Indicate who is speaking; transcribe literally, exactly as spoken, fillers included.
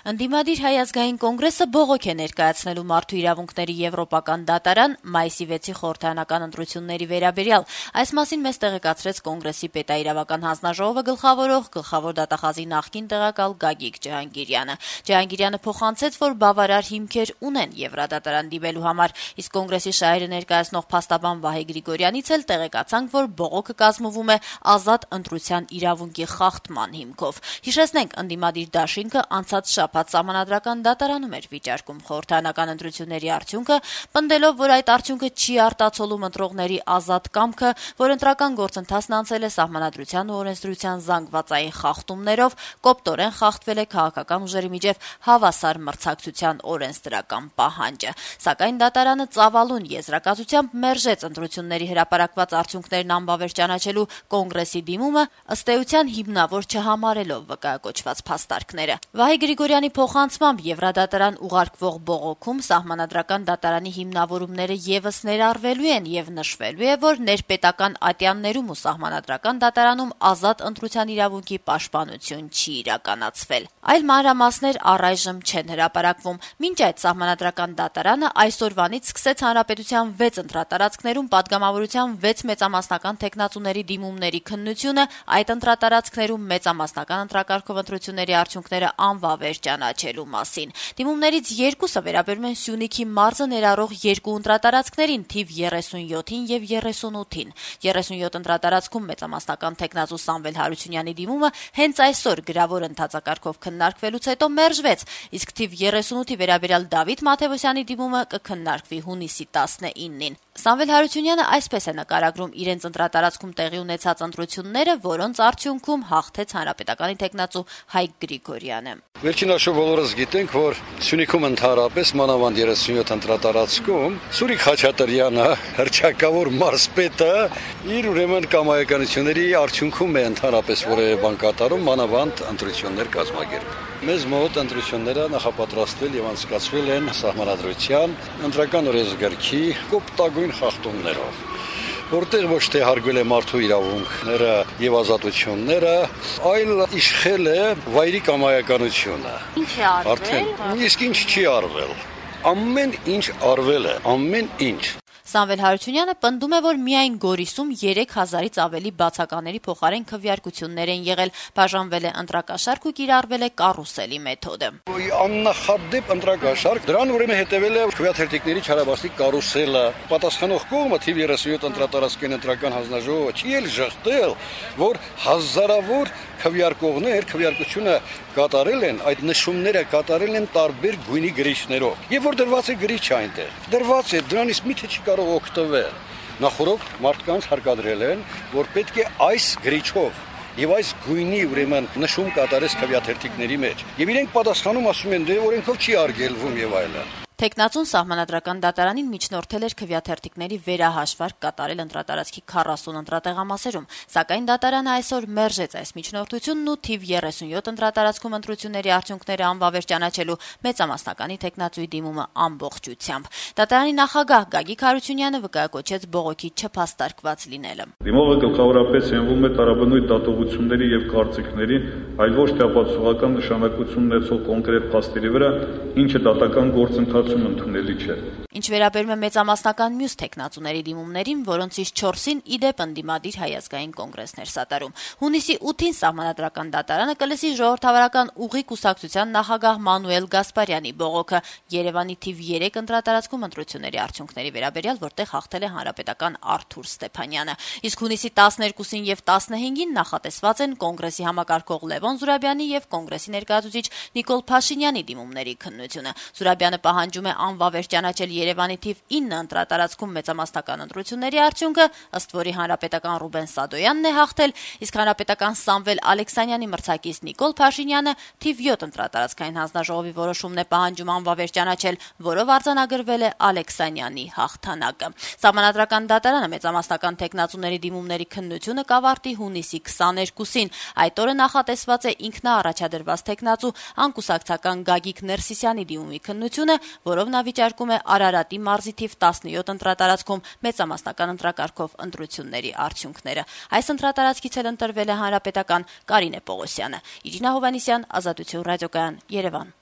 Speaker 1: Ընդդիմադիր Հայ ազգային կոնգրեսը բողոք է ներկայացնելու Մարդու իրավունքների եվրոպական դատարան մայիսի վեցի խորհրդարանական ընտրությունների վերաբերյալ։ Այս մասին մեզ տեղեկացրեց Կոնգրեսի պետաիրավական հանձնաժողովը գլխավորող գլխավոր դատախազի նախկին տեղակալ Գագիկ Ջհանգիրյանը։ Ջհանգիրյանը փոխանցեց, որ բավարար հիմքեր ունեն Եվրադատարան դիմելու համար, իսկ Կոնգրեսի շահերը ներկայացնող փաստաբան Վահե Գրիգորյանից էլ տեղեկացանք, որ բողոքը կազմվում է ազատ ընտրության իրավունքի խախտման հիմքով։ Հիշեցնենք, ընդդիմադիր դաշինքը անցած շաբաթ Սահմանադրական դատարանում էր վիճարկում խորհրդարանական ընտրությունների արդյունքը, պնդելով, որ այդ արդյունքը չի արտացոլում ընտրողների ազատ կամքը, որ ընտրական գործընթացն անցել է Սահմանադրության ու օրենսդրության զանգվածային խախտումներով, կոպտորեն խախտվել է քաղաքական ուժերի միջև հավասար մրցակցության օրենսդրական պահանջը։ Սակայն դատարանը ծավալուն եզրակացությամբ մերժեց ընտրությունների հրապարակված արդյունքներն անբավեր ճանաչելու Կոնգրեսի դիմումը, ըստ էության հիմնավոր չհամարելով վկայակոչված փաստարկները։ Վահե Գրիգորյանի փոխանցմամբ Եվրադատարան ուղարկվող բողոքում Սահմանադրական դատարանի հիմնավորումները ևս ներառվելու են եւ նշվելու է, որ ներպետական ատյաններում ու Սահմանադրական դատարանում ազատ ընտրության իրավունքի պաշտպանություն չի իրականացվել։ Այլ մանրամասներ առայժմ չեն հրապարակվում։ Մինչ այդ Սահմանադրական դատարանը այսօրվանից սկսեց հանրապետության վեց ընտրատարածքներում падգամավորության վեց մեծամասնական թեկնածուների դիմումների քննությունը, այդ ընտրատարածքներում մեծամասնական ընտրակարգով ընտրությունների արդյունքները անվավեր ճանաչելու մասին։ Դիմումներից երկուսը վերաբերում են Սյունիքի մարզը ներառող երկու ընտրատարածքներին՝ թիվ երեսունյոթին եւ երեսունութին։ երեսունյոթ ընտրատարածքում մեծամասնական թեկնածու Սամվել Հարությունյանի դիմումը հենց այսօր գրավոր ընթացակարգով քննարկվելուց հետո մերժվեց, իսկ թիվ երեսունութի վերաբերյալ Դավիթ Մաթեւոսյանի դիմումը կքննարկվի հունիսի տասնինին։ Սամվել Հարությունյանը այսպես է նկարագրում իրենց ընտրատարածքում տեղի ունեցած ընտրությունները, որոնց արդյունքում հաղթեց հանրապետականի թեկնածու Հայկ Գրիգորյանը։
Speaker 2: Վերջին հաշվով բոլորս գիտենք, որ Սյունիքում ընդհանրապես մանավանդ երեսունյոթ ընտրատարածքում Սուրիկ Խաչատրյանը, հռչակավոր մարզպետը, իր ուրեմն կամայականությունների արդյունքում է ընդհանրապես որևէ բան կատարում, մանավանդ ընտրություններ կազմակերպում։ Մեզ մոտ ընտրությունները նախապատրաստվել եւ անցկացվել են Սահմանադրության ընտրական օրենսգրքի կոպտագույն խախտումներով, որտեղ ոչ թե հարգվել է մարդու իրավունքները եւ ազատությունները, այլ իշխել է վայրի կամայականությունը։
Speaker 1: Ինչ է արվել։
Speaker 2: Արդեն իսկ ինչ չի արվել։ Ամեն ինչ արվել է, ամեն ինչ։
Speaker 1: Սամվել Հարությունյանը պնդում է, որ միայն Գորիսում երեք հազարից ավելի բացակաների փոխարեն քվեարկություններ են եղել, բաժանվել է ընտրակաշարք ու կիրառվել է կարուսելի մեթոդը։
Speaker 2: Աննախադեպ ընտրակաշարք, դրան ուրեմն հետևել է քվեաթերթիկների չարաբաստիկ կարուսելը։ Պատասխանող կողմը թիվ երեսունյոթ ընտրատարածքային ընտրական հանձնաժողովը չի էլ ժխտել, որ հազարավոր քվեարկողներ քվեարկությունը կատարել են, այդ նշումները կատարել են տարբեր գույնի գրիչներով։ Եվ որ դրված է գրիչ այնտեղ։ Դրված է, դրանից միթե չի կարող օգտվել։ Նախորդ մարդկանց հարկադրել են, որ պետք է այս գրիչով եւ այս գույնի ուրեմն նշում կատարես քվեաթերթիկների մեջ։ Եվ իրենք պատասխանում ասում են, դե օրենքով չի արգելվում եւ այլն։
Speaker 1: Թեկնածուն Սահմանադրական դատարանին միջնորդել էր քվեաթերթիկների վերահաշվարկ կատարել ընտրատարածքի քառասուն ընտրատեղամասերում, սակայն դատարանը այսօր մերժեց այս միջնորդությունն ու թիվ երեսունյոթ ընտրատարածքում ընտրությունների արդյունքները անվավեր ճանաչելու մեծամասնականի թեկնածուի դիմումը ամբողջությամբ։ Դատարանի նախագահ Գագիկ Հարությունյանը վկայակոչեց բողոքի չփաստարկված լինելը։
Speaker 3: Դիմողը գլխավորապես հենվում է տարաբնույթ դատողությունների եւ կարծիքների, այլ ոչ թե ապացուցողական նշանակություն ունեցող կոնկրետ փաստերի վրա, ինչը դատական գործընթաց ընդունելի չէ։
Speaker 1: Ինչ վերաբերում է մեծամասնական մյուս թեկնածուների դիմումներին, որոնցից չորսին իդեպ ընդդիմադիր Հայ ազգային կոնգրեսն էր սատարում։ Հունիսի ութին Սահմանադրական դատարանը կլսի ժողովրդավարական ուղի կուսակցության նախագահ Մանուել Գասպարյանի բողոքը Երևանի թիվ երեք ընտրատարածքում ընտրությունների արդյունքների վերաբերյալ, որտեղ հաղթել է հանրապետական Արթուր Ստեփանյանը։ Իսկ հունիսի տասներկուսին եւ տասնհինգին նախատեսված են Կոնգրեսի համակարգող Լևոն Զուրաբյանի եւ Կոնգրեսի ներկայացուցիչ Նիկոլ Փաշինյանի դիմումների քննությունը։ Զուրաբյանը պահանջում է անվավեր ճանաչել Երևանի թիվ ինը ընտրատարածքում մեծամասնական ընտրությունների արդյունքը, ըստ որի հանրապետական Ռուբեն Սադոյանն է հաղթել, իսկ հանրապետական Սամվել Ալեքսանյանի մրցակից Նիկոլ Փաշինյանը թիվ յոթ ընտրատարածքային հանձնաժողովի որոշումն է պահանջում անվավեր ճանաչել, որով արձանագրվել է Ալեքսանյանի հաղթանակը։ Սահմանադրական դատարանը մեծամասնական թեկնածուների դիմումների քննությունը կավարտի հունիսի քսաներկուսին։ Այդ օրը նախատեսված է ինքնաառաջադրված թեկնածու անկուսակցական Գագիկ Ներսիսյանի դիմումի քննությունը, որով նա վիճարկում է Արարատի մարզի թիվ տասնյոթ ընտրատարածքում մեծամասնական ընտրակարգով ընտրությունների արդյունքները։ Այս ընտրատարածքից էլ ընտրվել է հանրապետական Կարինե Պողոսյանը։ Իրինա Հովհաննիսյան, Ազատություն ռադիոկայան, Երևան։